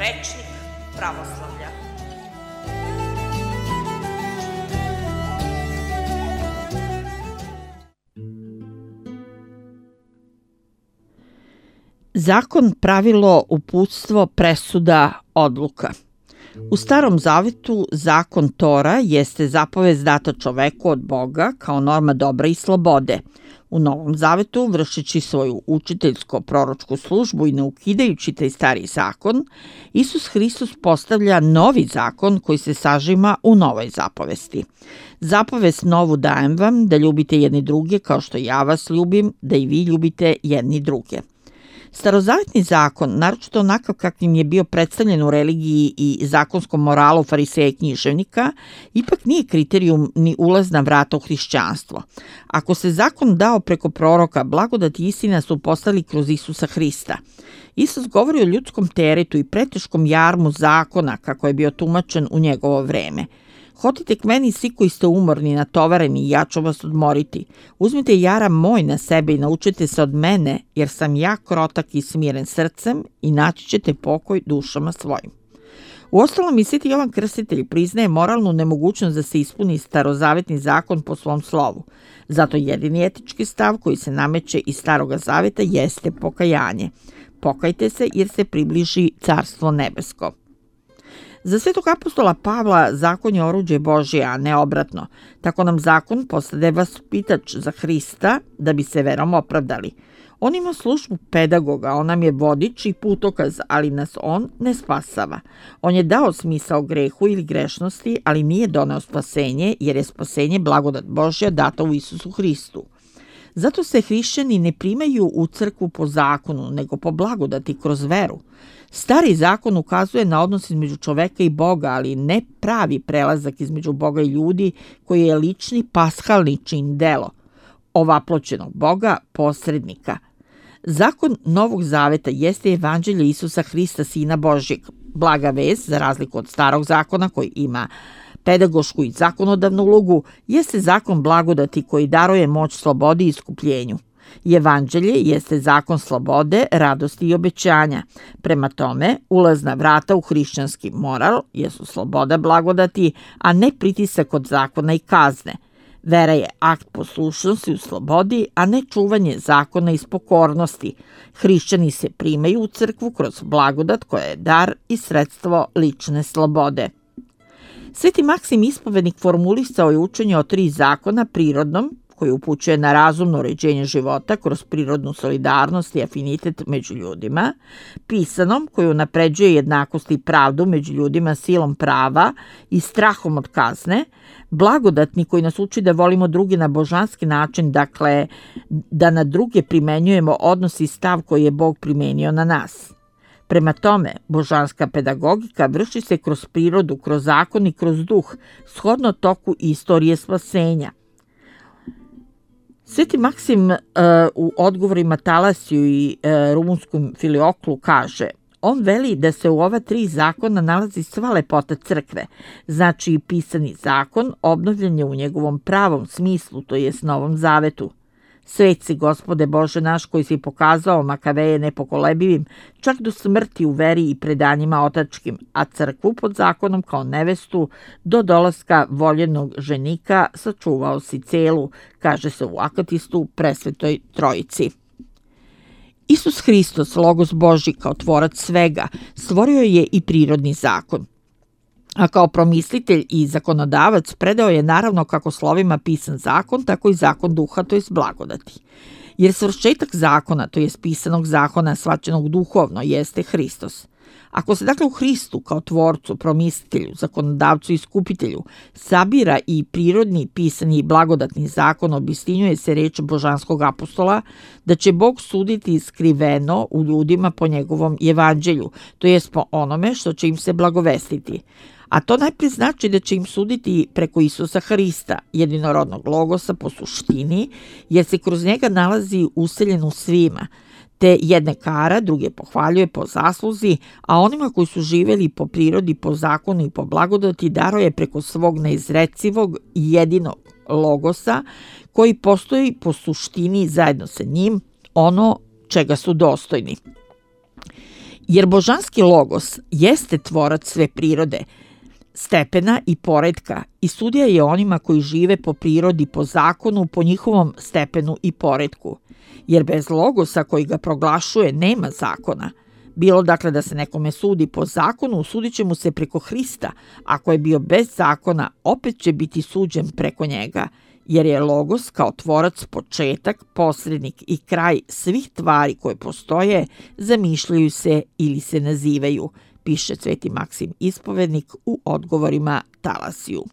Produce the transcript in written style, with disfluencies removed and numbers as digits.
rečnik pravoslavlja. Zakon, pravilo, uputstvo, presuda, odluka. U Starom zavetu zakon Tora jeste zapovest data čoveku od Boga kao norma dobra i slobode. U Novom zavetu, vršeći svoju učiteljsko-proročku službu i ne ukidajući taj stari zakon, Isus Hristos postavlja novi zakon koji se sažima u novoj zapovesti. Zapovest novu dajem vam da ljubite jedni druge kao što ja vas ljubim, da i vi ljubite jedni druge. Starozavetni zakon, naročito onakav kakvim je bio predstavljen u religiji i zakonskom moralu fariseja i književnika, ipak nije kriterijum ni ulazna vrata u hrišćanstvo. Ako se zakon dao preko proroka, blagodat i istina su postali kroz Isusa Hrista. Isus govori o ljudskom teretu i preteškom jarmu zakona kako je bio tumačen u njegovo vreme. Hodite k meni svi koji ste umorni, natovareni i ja ću vas odmoriti. Uzmite jaram moj na sebe i naučite se od mene, jer sam ja krotak i smiren srcem i naći ćete pokoj dušama svojim. Uostalom i Sveti Jovan Krstitelj priznaje moralnu nemogućnost da se ispuni starozavetni zakon po svom slovu. Zato jedini etički stav koji se nameće iz Staroga zaveta jeste pokajanje. Pokajte se jer se približi Carstvo nebesko. Za svetog apostola Pavla zakon je oruđe Božje, a ne obratno. Tako nam zakon postade vaspitač za Hrista da bi se verom opravdali. On ima službu pedagoga, on nam je vodič i putokaz, ali nas on ne spasava. On je dao smisao grehu ili grešnosti, ali nije doneo spasenje, jer je spasenje blagodat Božja data u Isusu Hristu. Zato se hrišćani ne primaju u crkvu po zakonu, nego po blagodati kroz veru. Stari zakon ukazuje na odnos između čoveka i Boga, ali ne pravi prelazak između Boga i ljudi koji je lični pashalni čin delo, ovaploćenog Boga, posrednika. Zakon Novog zaveta jeste evanđelje Isusa Hrista, Sina Božjeg. Blaga vest, za razliku od Starog zakona koji ima pedagošku i zakonodavnu ulogu, jeste zakon blagodati koji daruje moć slobodi i iskupljenju. Evanđelje jeste zakon slobode, radosti i obećanja. Prema tome, ulazna vrata u hrišćanski moral jesu sloboda blagodati, a ne pritisak od zakona i kazne. Vera je akt poslušnosti u slobodi, a ne čuvanje zakona iz pokornosti. Hrišćani se primaju u crkvu kroz blagodat koja je dar i sredstvo lične slobode. Sveti Maksim Ispovednik formulisao je učenje o 3 zakona prirodnom, koji upućuje na razumno uređenje života kroz prirodnu solidarnost i afinitet među ljudima, pisanom, koji unapređuje jednakost i pravdu među ljudima silom prava i strahom od kazne, blagodatni koji nas uči da volimo druge na božanski način, dakle da na druge primenjujemo odnos i stav koji je Bog primenio na nas. Prema tome, božanska pedagogika vrši se kroz prirodu, kroz zakon i kroz duh, shodno toku istorije spasenja. Sveti Maksim u odgovorima Talasiju i rumunskom Filioklu kaže: on veli da se u ova 3 zakona nalazi sva lepota crkve, znači i pisani zakon obnovljen je u njegovom pravom smislu, to jest Novom zavetu. Svet si, Gospode Bože naš, koji si pokazao Makaveje nepokolebivim, čak do smrti u veri i predanjima otačkim, a crkvu pod zakonom kao nevestu do dolaska voljenog ženika sačuvao si celu, kaže se u Akatistu presvetoj Trojici. Isus Hristos, Logos Božji kao tvorac svega, stvorio je i prirodni zakon. A kao promislitelj i zakonodavac predao je naravno kako slovima pisan zakon, tako i zakon duha, to jest blagodati. Jer svršetak zakona, to jest pisanog zakona shvaćenog duhovno, jeste Hristos. Ako se dakle u Hristu kao tvorcu, promislitelju, zakonodavcu i iskupitelju sabira i prirodni, pisani i blagodatni zakon, obistinjuje se reč božanskog apostola da će Bog suditi skriveno u ljudima po njegovom evanđelju, to jest po onome što će im se blagovestiti. A to najprije znači da će im suditi preko Isusa Hrista, jedinorodnog logosa po suštini, jer se kroz njega nalazi useljen u svima, te jedne kara, druge pohvaljuje po zasluzi, a onima koji su živjeli po prirodi, po zakonu i po blagodati daruje preko svog neizrecivog i jedinog logosa, koji postoji po suštini zajedno sa njim ono čega su dostojni. Jer božanski logos jeste tvorac sve prirode, stepena i poretka i sudija je onima koji žive po prirodi, po zakonu, po njihovom stepenu i poretku. Jer bez logosa koji ga proglašuje nema zakona. Bilo dakle da se nekome sudi po zakonu, sudit će mu se preko Hrista. Ako je bio bez zakona, opet će biti suđen preko njega, jer je logos kao tvorac početak, posrednik i kraj svih tvari koje postoje, zamišljaju se ili se nazivaju, piše Sveti Maksim Ispovednik u odgovorima Talasiju.